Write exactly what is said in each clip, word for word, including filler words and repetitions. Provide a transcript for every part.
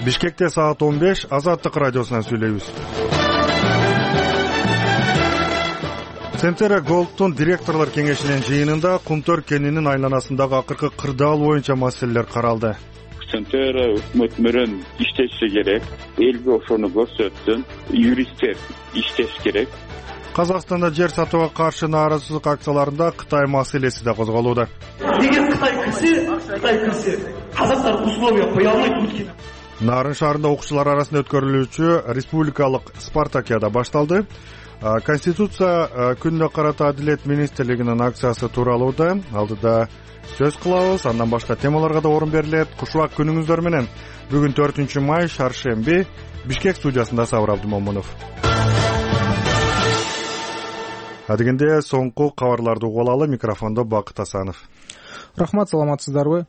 Бишкекте саат он беш, Азаттык радиосунан сүйлөйбүз. Centera Gold'тун директорлор кеңешинин жыйынында Кумтөр кенинин айланасындагы акыркы кырдаал боюнча маселелер каралды. Centera өкмөт менен иштеши керек, элге ошону көрсөтсүн, юристтер иштеш керек. Казакстанда жер сатууга каршы нааразычылык акцияларында Кытай маселеси да козголууда. Эгер Кытай кирсе, Кытай кирсе, казактар условия кое албайт. Нарын шаарында окуучулар арасында өткөрүлүүчү республикалык спартакиада башталды. Конституция күнүнө карата Адилет министрлигинин акциясы тууралуу да алдыда сөз кылабыз. Андан башка темаларга да орун берилет. Кушубак күнүңүздөр менен. Бүгүн төртүнчү май, шаршемби, Бишкек студиясында Сабыр Абдымомунов. Адегенде соңку кабарларды угуп алалы. Микрофондо Бакыт Асанов. Рахмат, саламатсыздарбы?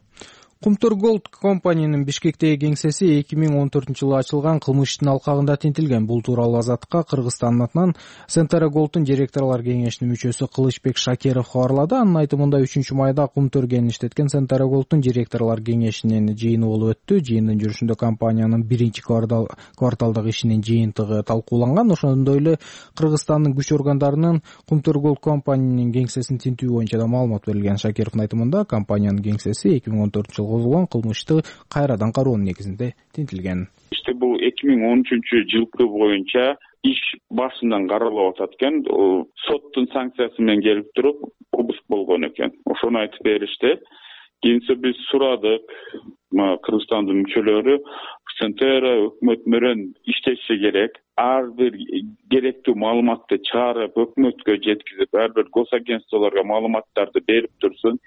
Кумтөр Gold компаниянын Бишкектеги кеңсеси эки миң он төртүнчү жылы ачылган кылмыш ишинин алкагында тинтилген. Бул тууралуу Азаттыкка Кыргызстандын атынан Centera Gold'тун директорлор кеңешинин мүчөсү Кылычбек Шакеров кабарлады. Анын айтымында үчүнчү майда Кумтөр кенин иштеткен Centera Gold'тун директорлор кеңешинин жыйыны болуп өттү. Жыйындын жүрүшүндө компаниянын биринчи кварталдагы ишинин жыйынтыгы талкууланган. Ошондой эле Кыргызстандын күч органдарынын Кумтөр Gold компаниянын кеңсесин тинтүү боюнча да маалымат берилген. Шакеровдун айтымында компаниянын кеңсеси эки миң он төртүнчү жылы козголгон кылмышты кайрадан кароонун негизинде тинтилген. İşte bu эки миң он үчүнчү жылкы боюнча иш башынан каралып атат экен. Соттун санкциясы менен келип туруп, обыск болгон экен. Ошону айтып беришти. Кийинче биз сурадык, Кыргызстандын мүчөлөрү Centera өкмөт менен иштеши керек. Ар бир керектүү маалыматты чыгарып, өкмөткө жеткизип, ар бир госагентстволорго маалыматтарды берип турсун.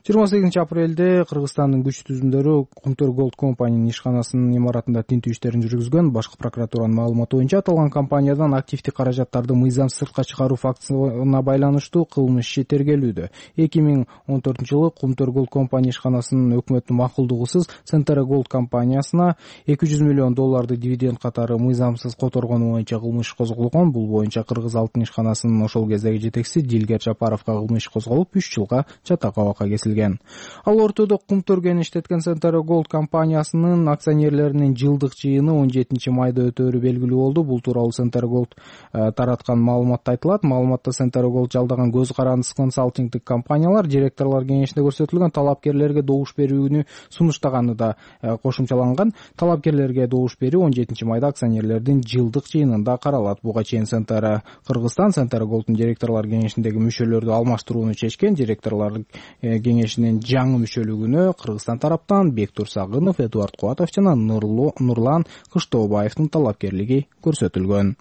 жыйырма сегизинчи апрелде Кыргызстандын күч түзүмдөрү Кумтөр Gold компаниянын ишканасынын имаратында тинтүү иштерин жүргүзгөн. Башкы прокуратуранын маалыматы боюнча аталган компаниядан активдик каражаттарды мыйзамсыз сыртка чыгаруу фактысына байланыштуу кылмыш иши тергелүүдө. эки миң он төртүнчү жылы Кумтөр Gold компания ишканасынын өкмөттүн макулдугусуз Centera Gold компаниясына эки жүз миллион долларды дивиденд катары мыйзамсыз которгону боюнча кылмыш козголгон. Бул боюнча Кыргыз алтын ишканасынын ошол кездеги жетекчиси Дилгер Жапаровго кылмыш козголуп, үч жылга чатак абакка кесилген. Ал ортодо Кумтөр кенин иштеткен Centera Gold компаниясынын акционерлеринин жылдык жыйыны он жетинчи майда өтөөрү белгилүү болду. Бул тууралуу Centera Gold тараткан маалыматта айтылат. Маалыматта Centera Gold жалдаган көз карандысыз консалтингдик компаниялар директорлор кеңешинде көрсөтүлгөн талапкерлерге добуш берүүнү сунуштаганы да кошумчаланган. Талапкерлерге добуш берүү он жетинчи майда акционерлердин жылдык жыйынында каралат. Буга чейин Centera Кыргызстан Centera Gold'тун директорлор кеңешиндеги мүчөлөрдү алмаштырууну чечкен. Директорлор кеңешинин жаңы мүчөлүгүнө Кыргызстан тараптан Бектур Сагынов, Эдуард Кубатов жана Нурлан Кыштобаевдин талапкерлиги көрсөтүлгөн.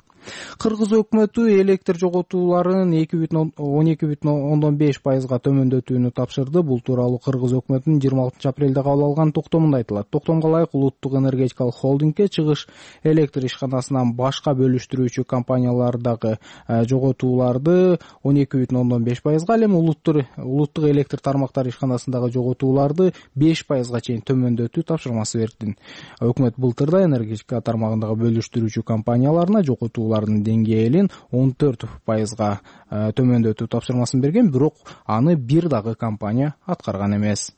Кыргыз өкмөтү электр жоготууларын он эки бүтүн ондон беш пайызга төмөндөтүүнү тапшырды. Бул тууралуу Кыргыз өкмөтүнүн жыйырма алтынчы апрелде кабыл алган токтомунда айтылат. Токтомго ылайык Улуттук энергетикалык холдингге чыгыш электр ишканасынан башка бөлүштүрүүчү компаниялардагы жоготууларды он эки бүтүн ондон беш пайызга, ал эми улуттук электр тармактары ишканасындагы жоготууларды беш пайызга чейин төмөндөтүү тапшырмасы берди. Өкмөт былтырда энергетика тармагындагы бөлүштүрүүчү компанияларына жоготуу деңгээлин он төрт пайызга төмөндөтүү тапшырмасын берген, бирок аны бир дагы компания аткарган эмес.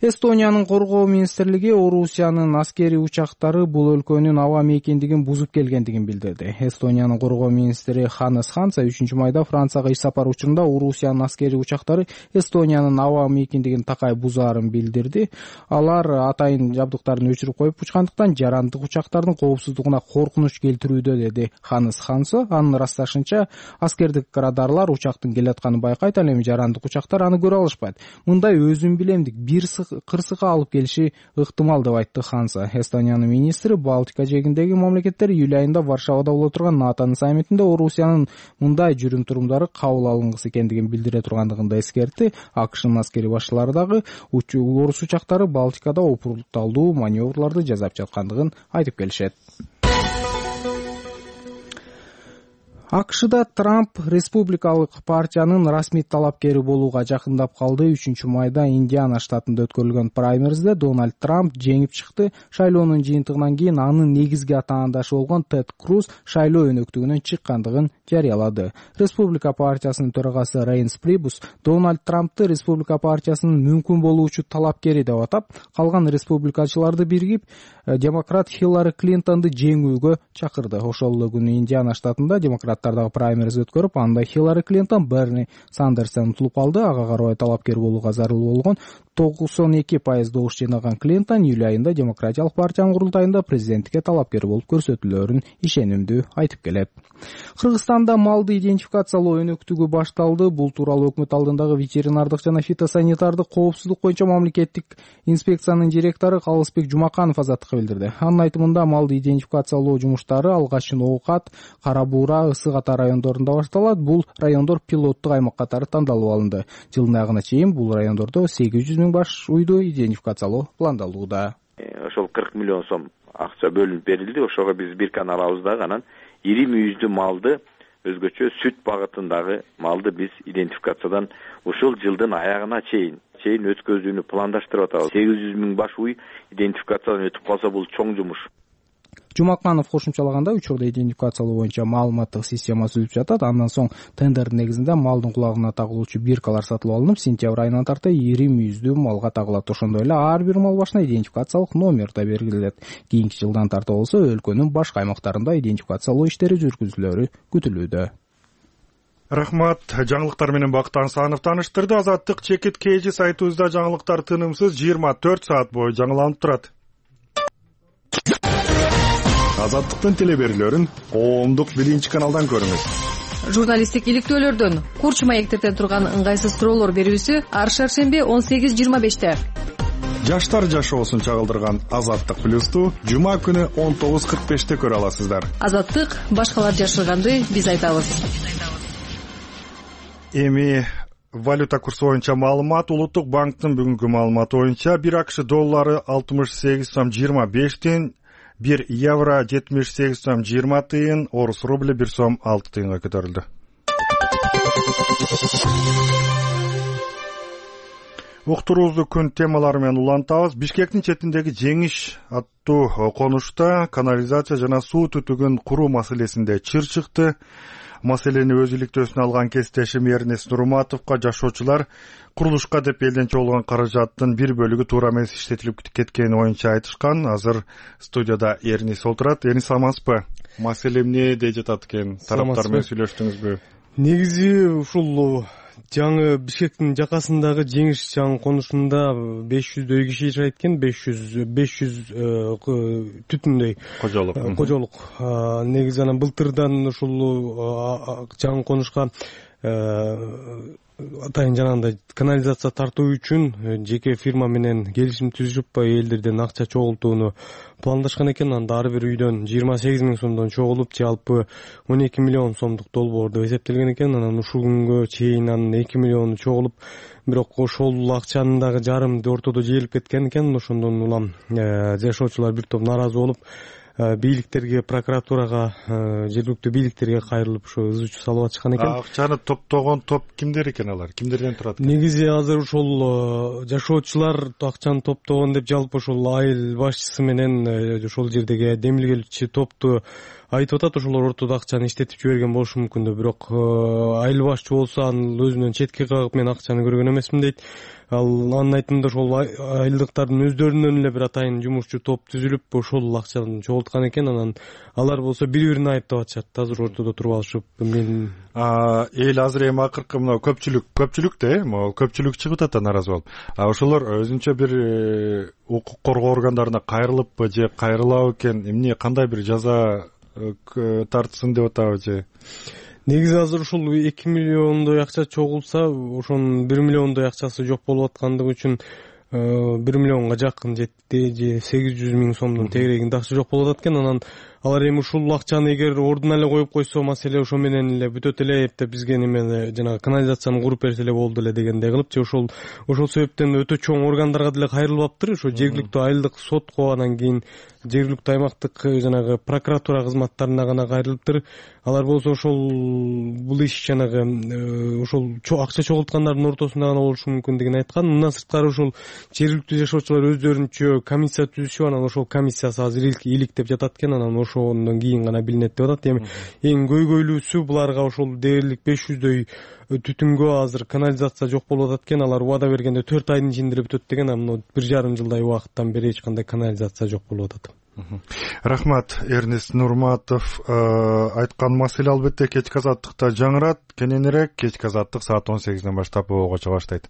Эстониянын коргоо министрлиги Орусиянын аскерий учактары бул өлкөнүн аба мейкиндигин бузуп келгендигин билдирди. Эстониянын коргоо министри Ханес Ханса үчүнчү майда Францияга иш сапар учурунда Орусиянын аскерий учактары Эстониянын аба мейкиндигин такай бузаарын билдирди. Алар атайын жабдыктарын өчүрүп коюп учкандыктан жарандык учактардын коопсуздугуна коркунуч келтирүүдө, деди Ханес Ханса. Анын ырасташынча, аскердик радарлар учактын келатканын байкайт, ал эми жарандык учактар аны көрө алышпайт. Мындай өзүн билемдик бир кырсыкка алып келиши ыктымал деп айтты Ханса. Эстониянын министри Балтика жээгиндеги мамлекеттер июль айында Варшавада боло турган НАТОнун саммитинде Орусиянын мындай жүрүм-турумдары кабыл алынгысы экендигин билдире тургандыгын да эскертти. АКШнын аскерий башчылары дагы орус учактары Балтикада опурталдуу маневрларды жасап жаткандыгын айтып келишет. АКШда Трамп республикалык партиянын расмий талапкери болууга жакындап калды. үчүнчү майда Индиана штатында өткөрүлгөн праймеризде Дональд Трамп жеңип чыкты. Шайлоонун жыйынтыгынан кийин анын негизги атаандашы болгон Тед Круз шайлоо өнөктүгүнөн чыккандыгын жарыялады. Республика партиясынын төрагасы Рейнс Прибус Дональд Трампты республика партиясынын мүмкүн болуучу талапкери деп атап, калган республикачыларды биригип демократ Хиллари Клинтонду жеңүүгө чакырды. Ошол эле күнү Индиана штатында демократтардагы праймериз өткөрүп, анда Хиллари Клинтон Берни Сандерстен утулуп калды. Ага карабай талапкер болууга зарыл болгон токсон эки пайыз добуш жыйнаган Клинтон июль айында демократиялык партиянын курултайында президенттикке талапкер болуп көрсөтүүлөрүн ишенимдүү айтып келет. Кыргызстанда малды идентификациялоо өнөктүгү башталды. Бул тууралуу өкмөт алдындагы ветеринардык жана фитосанитардык коопсуздук боюнча мамлекеттик инспекциянын директору Калысбек Жумаканов Азаттыкка билдирди. Анын айтымында малды идентификациялоо жумуштары алгачын Оокат, Кара Буура, Ысык Ата райондорунда башталат. Бул райондор пилоттук аймак катары тандалып алынды. Жылдын аягына чейин бул райондордо сегиз жүз миң баш уйду идентификациялоо пландалууда. Ошол кырк миллион сом акча бөлүнүп берилди. Ошого биз бир канал алабыз дагы, анан ири мүйүздүү малды, өзгөчө сүт багытындагы малды биз идентификациядан ушул жылдын аягына чейин чейин өткөзүүнү пландаштырып атабыз. сегиз жүз миң баш уй идентификациядан өтүп калса, бул чоң жумуш. Жумаканов кошумчалагандай, учурда идентификациялоо боюнча маалыматтык система түзүлүп жатат. Андан соң тендердин негизинде малдын кулагына тагылуучу биркалар сатылып алынып, сентябрь айынан тарта ири мүйүздүү малга тагылат. Ошондой эле ар бир мал башына идентификациялык номер да белгиленет. Кийинки жылдан тарта болсо өлкөнүн башка аймактарында идентификациялоо иштери жүргүзүлөрү күтүлүүдө. Рахмат. Жаңылыктар менен Бакыт Аңсанов тааныштырды. Азаттык чекит кейжи сайтыбызда жаңылыктар тынымсыз жыйырма төрт саат бою жаңыланып турат. Азаттыктын телеберүүлөрүн коомдук биринчи каналдан көрүңүз. Журналисттик иликтөөлөрдөн Курч маектирден турган ыңгайсыз суроолор берүүсү ар шаршемби он сегиз жыйырма беште. Жаштар жашоосун чагылдырган Азаттык плюсту жума күнү он тогуз кырк беште көрө аласыздар. Азаттык башкалар жашырганды биз айтабыз. Эми валюта курсу боюнча маалымат. Улуттук банктын бүгүнкү маалыматы боюнча бир АКШ доллары алтымыш сегиз сом жыйырма беш тыйын, бир евро жетимиш сегиз сом жыйырма тыйын, орус рубли бир сом алты тыйынга көтөрүлдү. Уктуруубузду күн темалары менен улантабыз. Бишкектин четиндеги Жеңиш аттуу конушта канализация жана суу түтүгүн куруу маселесинде чыр чыкты. Маселени өз иликтөөсүнө алган кесиптешим Эрнест Нурматовго жашоочулар курулушка деп элден чогулган каражаттын бир бөлүгү туура эмес иштетилип кеткени боюнча айтышкан. Азыр студияда Эрнис отурат. Эрнис, саламатсызбы? Маселе эмне дей жатат экен? Тараптар менен сүйлөштүңүзбү? Негизи ушул жаңы Бишкектин жакасындагы Жеңиш жаңы конушунда беш жүздөй киши жашайт экен. беш жүз беш жүз түтүндөй кожолук. Кожолук. Негизи анан былтырдан ушул жаңы конушка атайын жанагындай канализация тартуу үчүн жеке фирма менен келишим түзүшүп элдерден акча чогултууну пландашкан экен. Анда ар бир үйдөн жыйырма сегиз миң сомдон чогулуп, жалпы он эки миллион сомдук долбоор деп эсептелген экен. Анан ушул күнгө чейин анын эки миллиону чогулуп, бирок ошол акчанын дагы жарымы ортодо жээлип кеткен экен. Ошондон улам жашоочулар бир топ нааразы болуп, бийликтерге, прокуратурага, жергиликтүү бийликтерге кайрылып ушу ыз чуу салып атышкан экен. Акчаны топтогон топ кимдер экен алар? Кимдерден турат? Негизи азыр ушул жашоочулар акчаны топтогон деп жалпы ушул айыл башчысы менен ошол жердеги демилгелчи топту айтып атат. Ошолор ортодо акчаны иштетип жиберген болушу мүмкүн деп, бирок айыл башчы болсо анын өзүнөн четке кагып мен акчаны көргөн эмесмин дейт. Ал анын айтымында ошол айылдыктардын өздөрүнөн эле бир атайын жумушчу топ түзүлүп ошол акчаны чогулткан экен. Анан алар болсо бири-бирин айыптап атышат. Азыр ортодо туруп алышып, мен эл азыр эми акыркы мына көпчүлүк көпчүлүк да могу көпчүлүк чыгып атат да нааразы болуп. А ошолор өзүнчө бир укук коргоо органдарына кайрылыппы же кайрылабы экен? Эмне, кандай бир жаза тартсын деп атабы же? Негизи азыр ушул эки миллиондой акча чогулса, ошонун бир миллиондой акчасы жок болуп аткандыгы үчүн бир миллионго жакын жетти же сегиз жүз миң сомдун тегерегинде акча жок болуп атат экен. Анан алар эми ушул акчаны эгер ордуна эле коюп койсо маселе ошо менен эле бүтөт эле эптеп бизге неме жанагы канализацияны куруп берсе эле болду эле дегендей кылып же ошол ошол себептен өтө чоң органдарга деле кайрылбаптыр. Ошо жергиликтүү айылдык сотко анан кийин жергиликтүү аймактык жанагы прокуратура кызматтарына гана кайрылыптыр. Алар болсо ошол бул иш жанагы ошол акча чогулткандардын ортосунда гана болушу мүмкүндүгүн айткан. Мындан сырткары ошол жергиликтүү жашоочулар өздөрүнчө комиссия түзүшүп, анан ошол комиссиясы азыр иликтеп жатат экен, анан ошондон кийин гана билинет деп атат. Эми эң көйгөйлүүсү буларга ошол дээрлик беш жүздөй түтүнгө азыр канализация жок болуп атат экен. Алар убада бергенде төрт айдын ичинде эле бүтөт деген, анан бир жарым жылдай убакыттан бери эч кандай канализация жок болуп атат. Рахмат, Эрнест Нурматов айткан маселе албетте кечки азаттыкта жаңырат. Кененирээк кечки азаттык саат он сегизден баштап болгочо баштайт.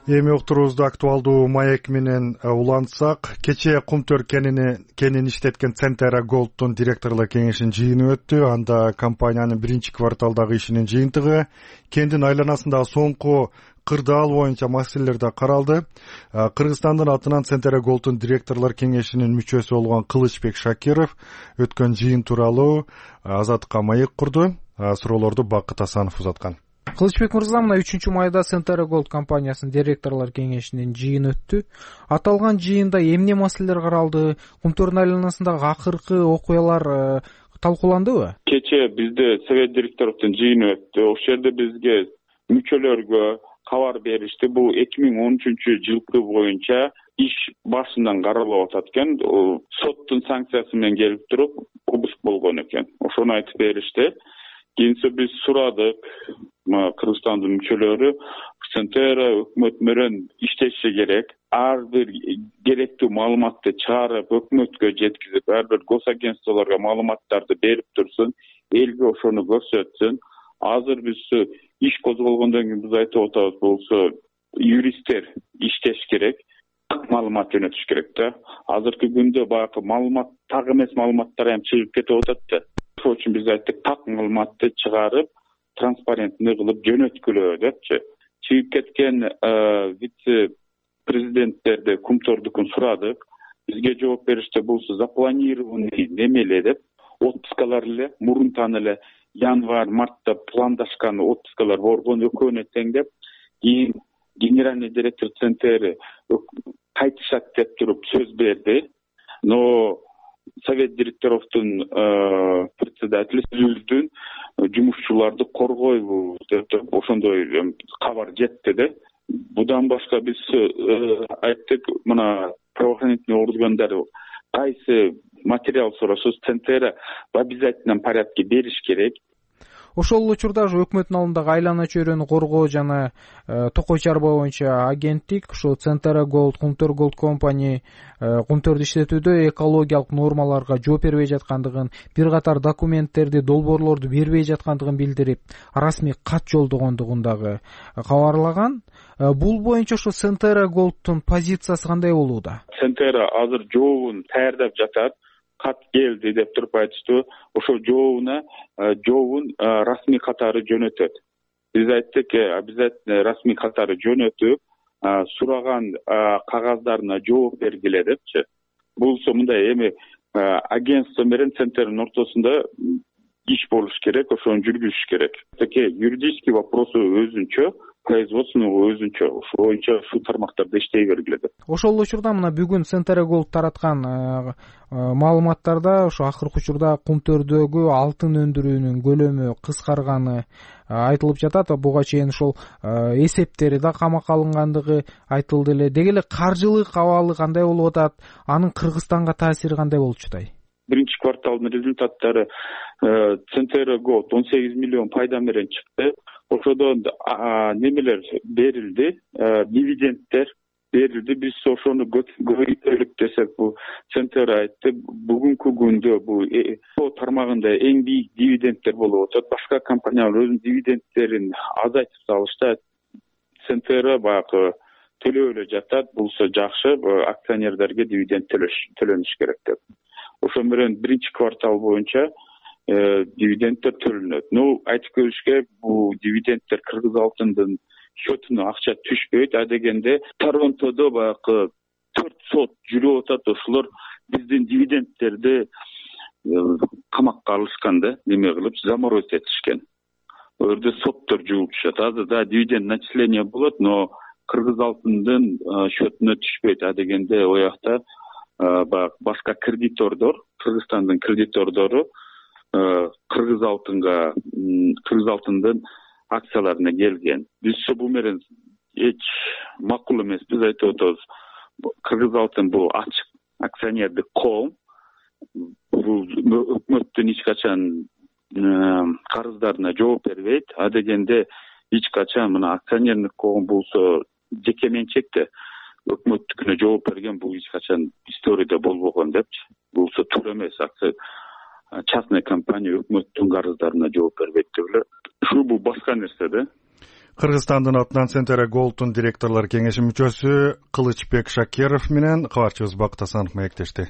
Эми уктуруубузду актуалдуу маек менен улантсак, кечээ Кумтөр кенини кенин иштеткен Центера Голдтун директорлор кеңешинин жыйыны өттү. Анда компаниянын биринчи кварталдагы ишинин жыйынтыгы, кендин айланасындагы соңку кырдаал боюнча маселелер да каралды. Кыргызстандын атынан Центера Голдтун директорлор кеңешинин мүчөсү болгон Кылычбек Шакиров өткөн жыйын тууралуу Азаттыкка маек курду. Суроолорду Бакыт Асанов узаткан. Кылычбек мырза, мына үчүнчү майда Центера Голд компаниясынын директорлор кеңешинин жыйыны өттү. Аталган жыйында эмне маселелер каралды? Кумтөрдүн айланасындагы акыркы окуялар талкууландыбы? Кечээ бизде совет директорлордун жыйыны өттү. Ошол жерде бизге мүчөлөргө кабар беришти. Бул эки миң он үчүнчү жылкы боюнча иш башынан каралып атат экен. Соттун санкциясы менен келип туруп обыск болгон экен. Ошону айтып беришти. Кийинче биз сурадык, Кыргызстандын мүчөлөрү Центера өкмөт менен иштеши керек. Ар бир керектүү маалыматты чыгарып, өкмөткө жеткизип, ар бир госагентстволорго маалыматтарды берип турсун, элге ошону көрсөтсүн. Азыр биз иш козголгондон кийин биз айтып атабыз, болсо юристтер иштеш керек, маалымат жөнөтүш керек да. Азыркы күндө баягы маалымат, так эмес маалыматтар эми чыгып кетип атат да. Ошол үчүн биз айттык, так маалыматты чыгарып, транспарентный кылып жөнөткүлө депчи. Чыгып кеткен вице-президенттерди Кумтордукун сурадык. Бизге жооп беришти, болсо запланированный немеле деп, отпускалар эле, мурунтан эле январь, мартта пландашкан отпускалар болгон, экөөнө тең деп, кийин генеральный директор Центери кайтышат деп туруп сөз берди. Но совет директоровдун председатели сөздүн жумушчуларды коргойбу деп ошондой кабар жетти да. Будан башка биз айттык, мына правоохранительный органдар кайсы материал сураса Центера в обязательном порядке бериш керек. Ошол учурда өкмөттүн алдындагы айлана чөйрөнү коргоо жана Токой чарба боюнча агенттик, ошо Центера Голд, Кумтөр Голд компани кумтөрдү иштетүүдө экологиялык нормаларга жооп бербей жаткандыгын, бир катар документтерди, долбоорлорду бербей жаткандыгын билдирип, расмий кат жолдогондугун дагы кабарлаган. Бул боюнча ошо Центера Голдтун позициясы кандай болууда? Центера азыр жообун даярдап жатат. Кат келди деп туруп айтышты. Ошол жообуна жообун расмий катары жөнөтөт. Биз айттык, обязательно расмий катары жөнөтүп, сураган кагаздарына жооп бергиле депчи. Булсо мындай эми агентство менен Центердин ортосунда иш болуш керек, ошону жүргүзүш керек. Такие юридический вопросы өзүнчө, производственный өзүнчө, ошо боюнча ушул тармактарда иштей бергиле деп. Ошол учурда мына бүгүн Центера Голд тараткан маалыматтарда ошо акыркы учурда Кумтөрдөгү алтын өндүрүүнүн көлөмү кыскарганы айтылып жатат. Буга чейин ошол эсептери да камакка алынгандыгы айтылды эле. Деги эле каржылык абалы кандай болуп атат? Анын Кыргызстанга таасири кандай болчу атат? Биринчи кварталдын результаттары Центера Голд он сегиз миллион пайда менен чыкты. Ошодон немелер берилди, дивидендтер берилди. Биз ошону көбөйтөлүк десек, бул Центера айтты, бүгүнкү күндө бул тармагында эң бийик дивидендтер болуп атат. Башка компаниялар өзүнүн дивидендтерин азайтып салышты. Центера баягы төлөп эле жатат, булса жакшы, акционерлерге дивиденд төлөнүш керек деп. Ошол менен биринчи квартал боюнча дивидендтер төлөнөт. Ну, айтып көрүш керек, бул дивидендтер Кыргыз алтындын счетуна акча түшпөйт. А дегенде Торонтодо баягы төрт сот жүрүп атат. Ошолор биздин дивидендтерди камакка алышкан да, неме кылып заморозить этишкен. Ал жерде соттор жуулушат. Азыр да дивиденд начисление болот, но Кыргыз алтындын счетуна түшпөйт. А дегенде оякта баягы башка кредитордор, Кыргызстандын кредитордору Кыргыз алтынга, Кыргыз алтындын акцияларына келген. Биз бул менен эч макул эмеспиз, айтып атабыз. Кыргыз алтын бул ачык акционердик коом. Бул өкмөттүн эч качан карыздарына жооп бербейт. А дегенде эч качан мына акционердик коом болсо жеке менчекте өкмөттүкүнө жооп берген, бул эч качан историяда болбогон депчи. Булса туура эмес. Частный компания өкмөттүн карыздарына жооп бербейт деп эле. Ушул бул башка нерсе да. Кыргызстандын атынан Центр Голдтун директорлор кеңеши мүчөсү Кылычбек Шакиров менен кабарчыбыз Бакыт Асанов маектешти.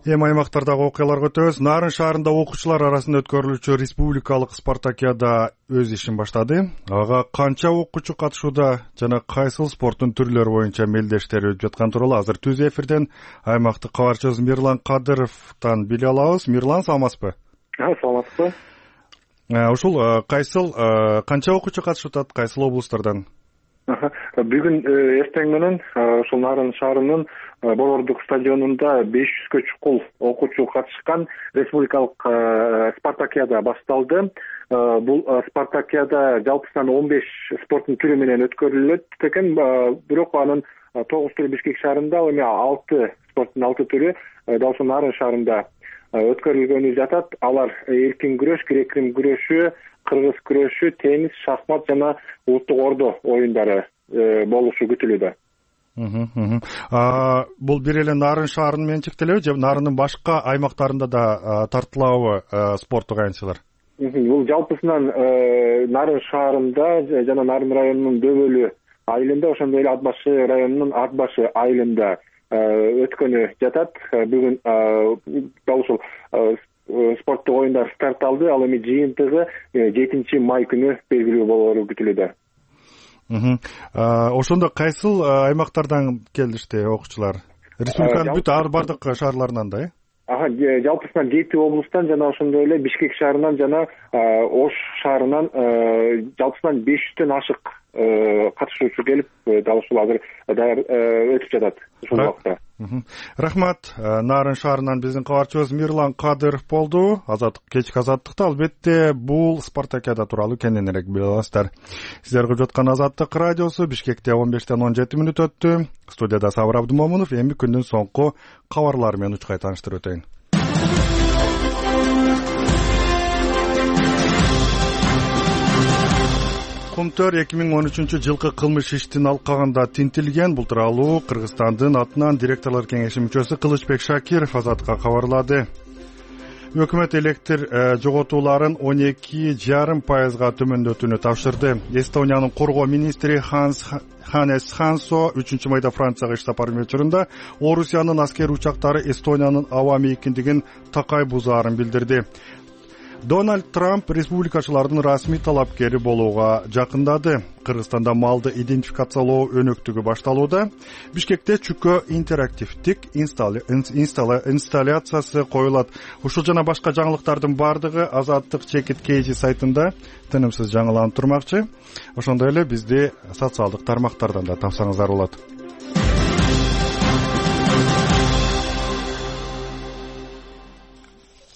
Эми аймактардагы окуяларга өтөбүз. Нарын шаарында окуучулар арасында өткөрүлүүчү республикалык спартакиада өз ишин баштады. Ага канча окуучу катышууда жана кайсыл спорттун түрлөрү боюнча мелдештер өтүп жаткан тууралуу азыр түз эфирден аймактык кабарчыбыз Мирлан Кадыровдон биле алабыз. Мирлан, саламатсызбы? Саламатсызбы. Ушул кайсыл канча окуучу катышып атат, кайсыл облустардан? Бүгүн эртең менен ушул Нарын шаарынын Борбордук стадионунда беш жүзгө чукул окуучу катышкан республикалык спартакиада башталды. Бул спартакиада жалпысынан он беш спорттун түрү менен өткөрүлөт экен, бирок анын тогуз түрү Бишкек шаарында, ал эми алты спорттун алты түрү дал ушул Нарын шаарында өткөрүлгөнү жатат. Алар эркин күрөш, грек-рим күрөшү, кыргыз күрөшү, теннис, шахмат жана улуттук ордо оюндары болушу күтүлүүдө. Бул бир эле Нарын шаарынын менен чектелеби же Нарындын башка аймактарында да тартылабы спорттук аянтчылар? Бул жалпысынан Нарын шаарында жана Нарын районунун Дөбөлү айылында, ошондой эле Ат башы районунун Ат башы айылында өткөнү жатат. Бүгүн дал ушул спорттук оюндар старт алды. Ал эми жыйынтыгы жетинчи май күнү белгилүү болору күтүлүүдө. Ошондо кайсыл аймактардан келишти окуучулар? Республиканын бүт ар бардык шаарларынан да, э? Ага, жалпысынан жети облустан жана ошондой эле Бишкек шаарынан жана Ош шаарынан жалпысынан беш жүздөн ашык катышуучу келип, дал ушул азыр даяр өтүп жатат ушул убакта. Рахмат. Нарын шаарынан биздин кабарчыбыз Мирлан Кадыров болду. Азаттык кечки азаттыкта албетте бул спартакиада тууралуу кененирээк биле аласыздар. Сиздер көрүп жаткан Азаттык радиосу Бишкекте он бештен он жети мүнөт өттү. Студияда Сабыр Абдымомунов. Эми күндүн соңку кабарлары менен учкай тааныштырып өтөйүн. Кумтөр эки миң он үчүнчү жылкы кылмыш иштин алкагында тинтилген. Бул тууралуу Кыргызстандын атынан директорлор кеңеши мүчөсү Кылычбек Шакиров Азаттыкка кабарлады. Өкмөт электр жоготууларын он эки жарым пайызга төмөндөтүүнү тапшырды. Эстониянын коргоо министри Ханс Ханес Хансо үчүнчү майда Францияга иш сапары учурунда Орусиянын аскер учактары Эстониянын аба мейкиндигин такай бузаарын билдирди. Дональд Трамп республикачылардын расмий талапкери болууга жакындады. Кыргызстанда малды идентификациялоо өнөктүгү башталууда. Бишкекте чүкө интерактивдик инсталляциясы коюлат. Ушул жана башка жаңылыктардын бардыгы Азаттык чекит кейжи сайтында тынымсыз жаңыланып турмакчы. Ошондой эле бизди социалдык тармактардан да тапсаңыздар болот.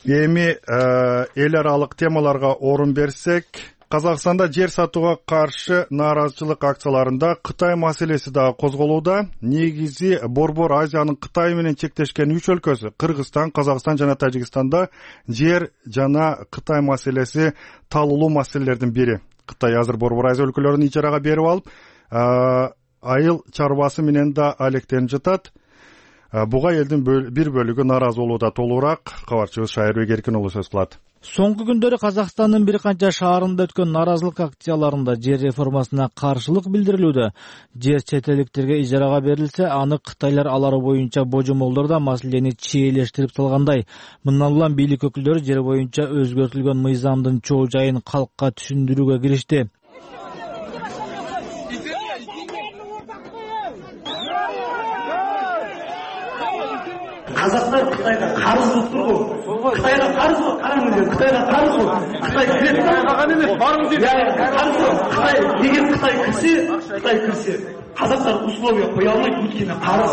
Эми эл аралык темаларга орун берсек, Казакстанда жер сатууга каршы нааразычылык акцияларында Кытай маселеси да козголууда. Негизи Борбор Азиянын Кытай менен чектешкен үч өлкөсү Кыргызстан, Казакстан жана Тажикстанда жер жана Кытай маселеси талуулуу маселелердин бири. Кытай азыр Борбор Азия өлкөлөрүн ижарага берип алып, айыл чарбасы менен да алектенип жатат. Буга элдин бир бөлүгү нааразы болууда. Толугураак кабарчыбыз Шайырбек Эркин уулу сөз кылат. Соңку күндөрү Казакстандын бир канча шаарында өткөн нааразылык акцияларында жер реформасына каршылык билдирилүүдө. Жер чет элдиктерге ижарага берилсе, аны кытайлар алары боюнча божомолдор да маселени чийлештирип салгандай. Мындан улам бийлик өкүлдөрү жер боюнча өзгөртүлгөн мыйзамдын чоо жайын калкка түшүндүрүүгө киришти. казактар Кытайга карыз кылып турбу? Кытайга карыз кылып, караңыз, Кытайга карыз кылып. Кытай кирет калган эмес, барыңыз дейт. Карыз кылып. Кытай эгер Кытай кирсе, Кытай кирсе, казактар условия кое албайт, өйткөнү карыз.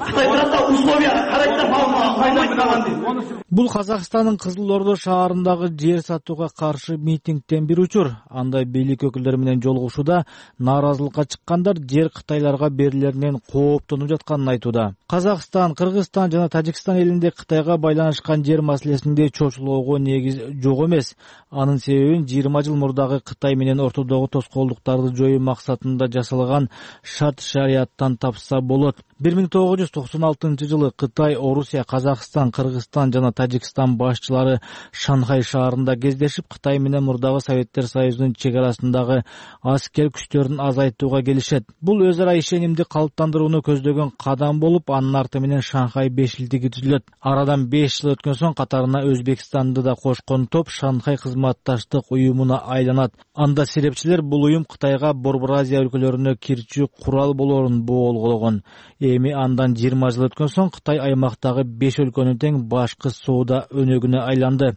Кытай тарапта условия карайт да малын алмайт дейт. Бул Казакстандын Кызыл Ордо шаарындагы жер сатууга каршы митингден бир учур. Анда бийлик өкүлдөрү менен жолугушууда нааразылыкка чыккандар жер Кытайларга берилеринен кооптонуп жатканын айтууда. Казакстан, Кыргызстан жана Тажикстан элинде Кытайга байланышкан жер маселесинде чочулоого негиз жок эмес. Анын себебин жыйырма жыл мурдагы Кытай менен ортодогу тоскоолдуктарды жоюу максатында жасалган шарт шарияттан тапса болот. бир миң тогуз жүз токсон алтынчы жылы Кытай, Орусия, Казакстан, Кыргызстан жана Тажикстан башчылары Шанхай шаарында кездешип, Кытай менен мурдагы Советтер Союзунун чек арасындагы аскер күчтөрүн азайтууга келишет. Бул өз ара ишенимди калыптандырууну көздөгөн кадам болуп, анын арты менен Шанхай бешилтиги түзүлөт. Арадан беш жыл өткөн соң катарына Өзбекстанды да кошкон топ Шанхай кызматташтык уюмуна айланат. Анда серепчилер бул уюм Кытайга Борбор Азия өлкөлөрүнө кирчү курал болоорун боолгологон. Эми андан жыйырма жыл өткөн соң Кытай аймактагы беш өлкөнүн тең башкы соода өнөгүнө айланды.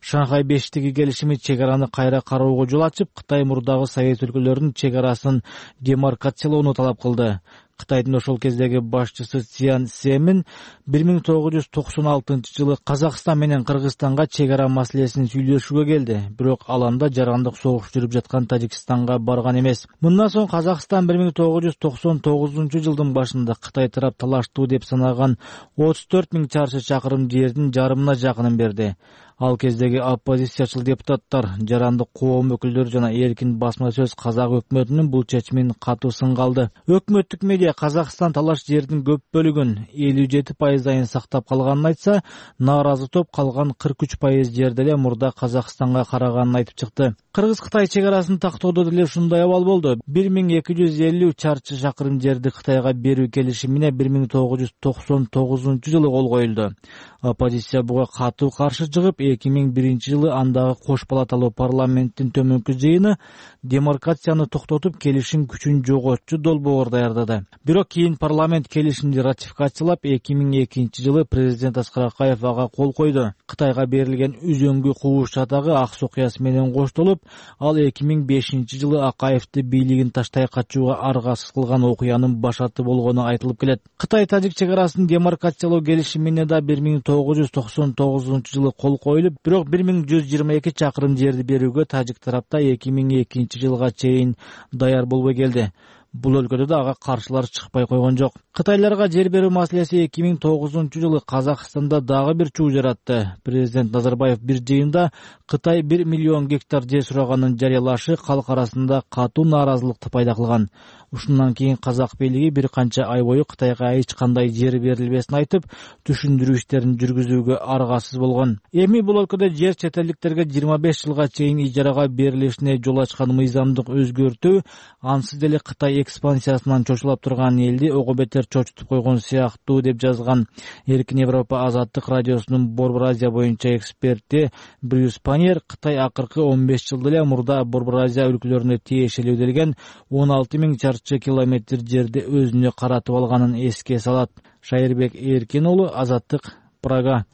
Шанхай бештиги келишими чек араны кайра кароого жол ачып, Кытай мурдагы Совет өлкөлөрүнүн чек арасын демаркациялоону талап кылды. Кытайдын ошол кездеги башчысы Цзян Сэмин бир миң тогуз жүз токсон алтынчы жылы Казакстан менен Кыргызстанга чек ара маселесин сүйлөшүүгө келди. Бирок ал анда жарандык согуш жүрүп жаткан Тажикстанга барган эмес. Мындан соң Казакстан бир миң тогуз жүз токсон тогузунчу жылдын башында Кытай тарап талаштуу деп санаган отуз төрт миң чарчы чакырым жердин жарымына жакынын берди. Ал кездеги оппозициячыл депутаттар, жарандык коом өкүлдөрү жана эркин басма сөз казак өкмөтүнүн бул чечимин катуу сынга алды. Өкмөттүк медиа Казакстан талаш жердин көп бөлүгүн элүү жети пайызайын сактап калганын айтса, нааразы топ калган кырк үч пайыз жерде эле мурда Казакстанга караганын айтып чыкты. Кыргыз-Кытай чек арасын тактоодо деле ушундай абал болду. бир миң эки жүз элүү чарчы чакырым жерди Кытайга берүү келишимине бир миң тогуз жүз токсон тогузунчу жылы кол коюлду. Оппозиция буга катуу каршы чыгып, эки миң биринчи жылы андагы кош палаталуу парламенттин төмөнкү жыйыны демаркацияны токтотуп, келишим күчүн жоготчу долбоор даярдады. Бирок кийин парламент келишимди ратификациялап, эки миң экинчи жылы президент Аскар Акаев ага кол койду. Кытайга берилген үзөңгү кууш чатагы ак сокуясы менен коштолуп, ал эки миң бешинчи жылы Акаевди бийлигин таштай качууга аргасыз кылган окуянын башаты болгону айтылып келет. Кытай-Тажик чек арасын демаркациялоо келишимине да бир миң тогуз жүз токсон тогузунчу жылы кол коюлуп, бирок бир миң жүз жыйырма эки чакырым жерди берүүгө тажик тарапта эки миң экинчи жылга чейин даяр болбой келди. Бул өлкөдө да ага каршылар чыкпай койгон жок. Кытайларга жер берүү маселеси эки миң тогузунчу жылы Казакстанда дагы бир чуу жаратты. Президент Назарбаев бир жыйында Кытай бир миллион гектар жер сураганын жарыялашы калк арасында катуу нааразылыкты пайда кылган. Ушундан кийин казак бийлиги бир канча ай бою Кытайга эч кандай жер берилбесин айтып, түшүндүрүү иштерин жүргүзүүгө аргасыз болгон. Эми бул өлкөдө жер чет элдиктерге жыйырма беш жылга чейин ижарага берилишине жол ачкан мыйзамдык өзгөртүү ансыз деле Кытай экспансиясынан чочулап турган элди ого бетер чочутуп койгон сыяктуу деп жазган Эркин Европа азаттык радиосунун Борбор Азия боюнча эксперти Брюс Паньер. Кытай акыркы он беш жылда эле мурда Борбор Азия өлкөлөрүнө тиешелүү делген он алты миң чарчы километр жерди өзүнө каратып алганын эске салат. Шайырбек Эркин уулу, Азаттык, Прага.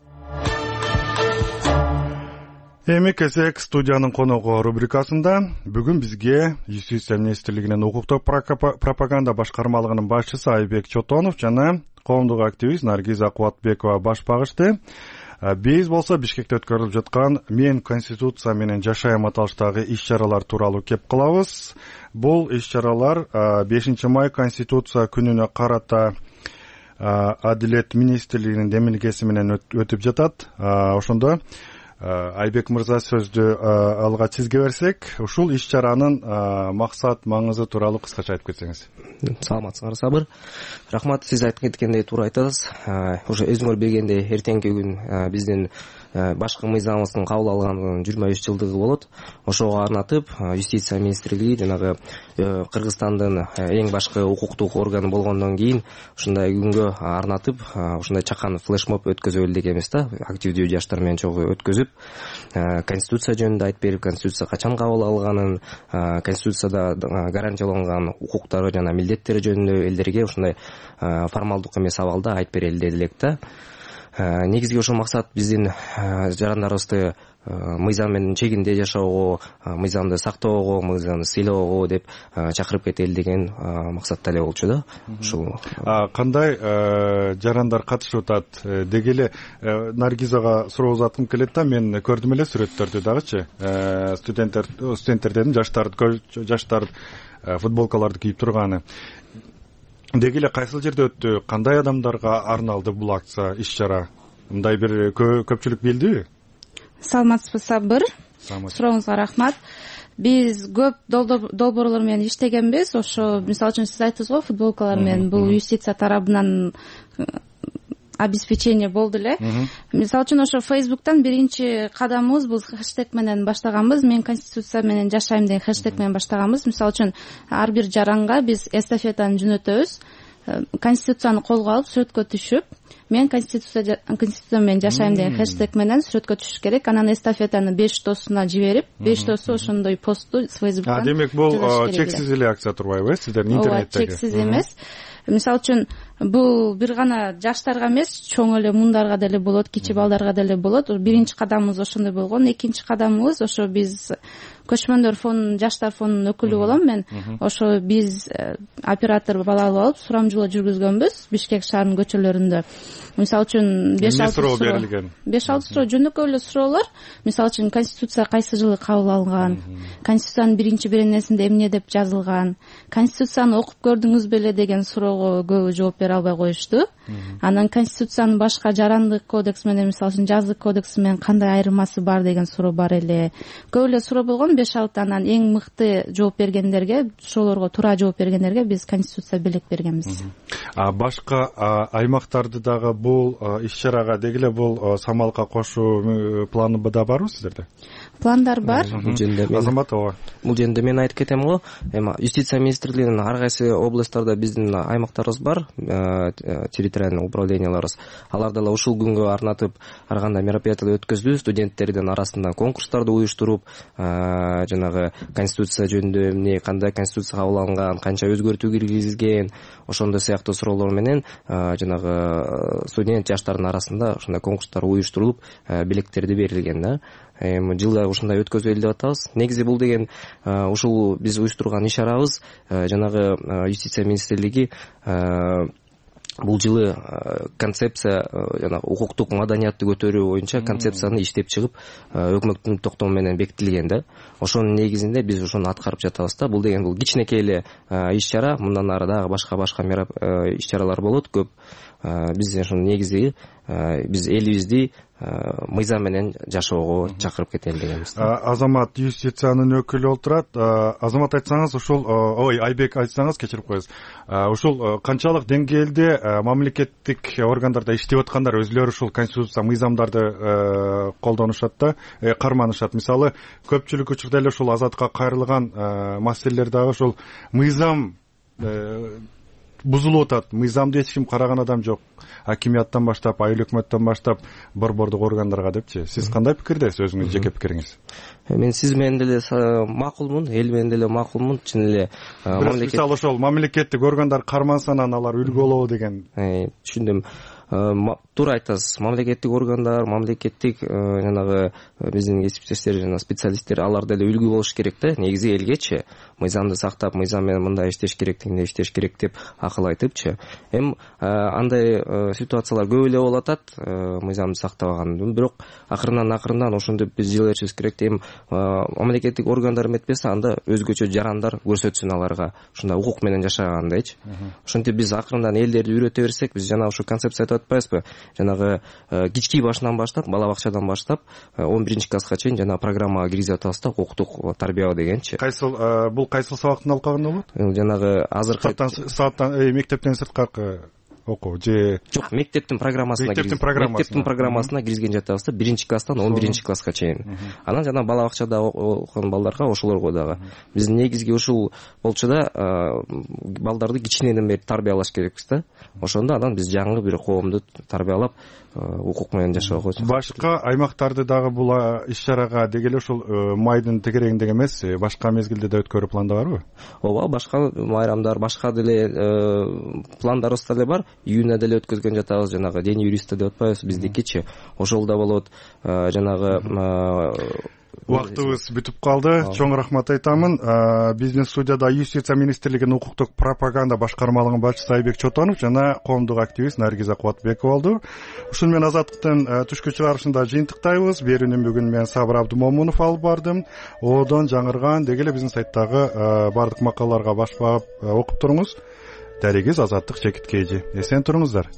Эми Кезек студиянын коногу рубрикасында бүгүн бизге Юстиция министрлигинин укуктук пропаганда башкармалыгынын башчысы Айбек Чотонов жана коомдук активист Наргиза Кубатбекова баш багышты. Биз болсо Бишкекте өткөрүлүп жаткан Мен Конституция менен жашайм аталыштагы иш-чаралар тууралуу кеп кылабыз. Бул иш-чаралар бешинчи май Конституция күнүнө карата Адилет министрлигинин демилгеси менен өтүп жатат. Ошондо Айбек мырза сөздү алга сизге берсек, ушул иш-чаранын максат, маңызы тууралуу кыскача айтып кетсеңиз. Саламатсыңар, Сабыр. Рахмат, сиз айтып кеткендей туура айтасыз. Уже өзүңөр билгендей, эртеңки күн биздин башкы мыйзамыбыздын кабыл алганынын жыйырма үч жылдыгы болот. Ошого арнатып, Юстиция министрлиги жанагы Кыргызстандын эң башкы укуктук органы болгондон кийин ушундай күнгө арнатып, ушундай чакан флешмоб өткөзөлү дегенбиз да, активдүү жаштар менен чогуу өткөзүп, Конституция жөнүндө айтып берип, Конституция качан кабыл алганын, Конституцияда гарантияланган укуктары жана милдеттери жөнүндө элдерге ушундай формалдык эмес абалда айтып берели дедилек да. негизги ошол максат биздин жарандарыбызды мыйзам менен чегинде жашоого, мыйзамды сактоого, мыйзамды сыйлоого деп чакырып кетели деген максатта эле болчу да. Ушул кандай жарандар катышып атат деги эле Наргизага суроо узаткым келет да. Мен көрдүм эле сүрөттөрдү дагычы. Студенттер студенттердин жаштар жаштар футболкаларды кийип турганы. Деги эле кайсыл жерде өттү? Кандай адамдарга арналды бул акция, иш-чара? Мындай бир көпчүлүк билдиби? Саламатсызбы, Сабыр. Сурооңузга рахмат. Биз көп долбоорлор менен иштегенбиз. Ошо мисалы үчүн сиз айттыңыз го, футболкалар менен бул юстиция тарабынан обеспечение болду эле. Мисалы үчүн ошо Facebook'тан биринчи кадамыбыз бул хэштег менен баштаганбыз. Мен конституция менен жашайм деген хэштег менен баштаганбыз. Мисалы үчүн ар бир жаранга биз эстафетаны жөнөтөбүз. Конституцияны колго алып сүрөткө түшүп, мен конституция конституция менен жашайм деген хэштег менен сүрөткө түшүш керек. Анан эстафетаны беш досуна жиберип, беш досу ошондой постту Facebook'тан. А демек бул чексиз эле акция турбайбы сиздердин интернеттеги? Ооба, чексиз эмес. Мисалы үчүн бул бир гана жаштарга эмес, чоң эле муңдарга деле болот, кичи балдарга деле болот. Биринчи кадамыбыз ошондой болгон. Экинчи кадамыбыз ошо биз көчмөндөр фонунун, жаштар фонунун өкүлү болом мен. Ошо биз оператор бала алып алып сурамжылоо жүргүзгөнбүз Бишкек шаарынын көчөлөрүндө. Мисалы үчүн беш алты суроо берилген. беш алты суроо жөнөкөй эле суроолор. Мисалы үчүн конституция кайсы жылы кабыл алынган? Конституциянын биринчи беренесинде эмне деп жазылган? Конституцияны окуп көрдүңүз беле деген суроого көбү жооп бере албай коюшту. Анан конституциянын башка жарандык кодекс менен, мисалы үчүн жазык кодекс менен кандай айырмасы бар деген суроо бар эле. Көп эле суроо болгон, беш алты. Анан эң мыкты жооп бергендерге, ошолорго туура жооп бергендерге биз конституция белек бергенбиз. А башка аймактарды дагы бул иш-чарага деги эле бул самалка кошуу планы да барбы сиздерде? Пландар бар. Азамат ооба. Бул жерде мен айтып кетем го. Эми юстиция министрлигинин ар кайсы областтарда биздин аймактарыбыз бар, территориальный управленияларыбыз. Алар дагы ушул күнгө арнатып ар кандай мероприятие өткөздү, студенттердин арасында конкурстарды уюштуруп, жанагы конституция жөнүндө эмне, кандай конституция кабыл алынган, канча өзгөртүү киргизилген, ошондой сыяктуу суроолор менен жанагы студент жаштардын арасында ошондой конкурстар уюштурулуп, белектерди берилген да. Эми жылда ушундай өткөзөлү деп атабыз. Негизи бул деген ушул биз уюштурган иш-чарабыз жанагы юстиция министрлиги бул жылы концепция жана укуктук маданиятты көтөрүү боюнча концепцияны иштеп чыгып, өкмөттүн токтому менен бекитилген да. Ошонун негизинде биз ошону аткарып жатабыз да. Бул деген бул кичинекей эле иш-чара, мындан ары дагы башка-башка иш-чаралар болот көп. Биз ошонун негизи биз элибизди мыйзам менен жашоого чакырып кетели дегенбиз. Азамат юстициянын өкүлү олтурат. Азамат айтсаңыз, ушул ой Айбек айтсаңыз, кечирип коесуз. Ушул канчалык деңгээлде мамлекеттик органдарда иштеп аткандар өзүлөрү ушул конституция мыйзамдарды колдонушат да, карманышат. Мисалы, көпчүлүк учурда эле ушул азатка кайрылган маселелер дагы ушул мыйзам бузулуп атат. Мыйзамды эч ким караган адам жок. Акимияттан баштап, айыл өкмөттөн баштап, борбордук органдарга депчи. Сиз кандай пикирдесиз, өзүңүз жеке пикириңиз? Мен сиз менен деле макулмун, эл менен деле макулмун. Чын эле мамлекет мисалы ошол мамлекеттик органдар карманса анан алар үлгү болобу деген. Түшүндүм. Туура айтасыз. Мамлекеттик органдар, мамлекеттик жанагы биздин кесиптештер жана специалисттер алар деле үлгү болуш керек да. Негизи элгечи мыйзамды сактап, мыйзам менен мындай иштеш керек, тигиндей иштеш керек деп акыл айтыпчы. Эми андай ситуациялар көп эле болуп атат, мыйзамды сактабаган. Бирок акырынан акырынан ошондоп биз жыл беришибиз керек. Эми мамлекеттик органдар эметпесе, анда өзгөчө жарандар көрсөтсүн аларга ушундай укук менен жашагандайчы. Ошентип биз акырындан элдерди үйрөтө берсек, биз жана ушу концепция айтып атпайбызбы? Жанагы кички башынан баштап, бала бакчадан баштап он биринчи класска чейин жана программага киргизип атабыз да, укуктук тарбия дегенчи. Кайсыл бул кайсыл сабактын алкагында болот? Жанагы азыркы сааттан мектептен сырткаркы окуу же жок, мектептин программасына мектептин программасына мектептин программасына киргизген жатабыз да, биринчи класстан он биринчи класска чейин. Анан жана бала бакчада окуган балдарга ошолорго дагы биз негизги ушул болчу да, балдарды кичинеден бери тарбиялаш керекпиз да. Ошондо анан биз жаңы бир коомду тарбиялап укук менен жашоого. Башка аймактарды дагы бул иш-чарага деги эле ушул майдын тегерегинде эмес, башка мезгилде да өткөрүү планда барбы? Ооба, башка майрамдар, башка деле пландарыбыз деле бар. июнда деле өткөзгөн жатабыз, жанагы дене юриста деп атпайбыз биздикичи, ошол да болот. Жанагы убактыбыз бүтүп калды. Чоң рахмат айтамын. Биздин студияда Юстиция министрлигинин укуктук пропаганда башкармалыгынын башчысы Айбек Чотонов жана коомдук активист Наргиза Кубатбекова болду. Ушуну менен Азаттыктын түшкү чыгарышында жыйынтыктайбыз. Берүүнү бүгүн мен Сабыр Абдымомунов алып бардым. Оодон жаңырган деги эле биздин сайттагы бардык макалаларга баш багып окуп туруңуз. Дарегиз Азаттык чекиткейжи. Эсен туруңуздар.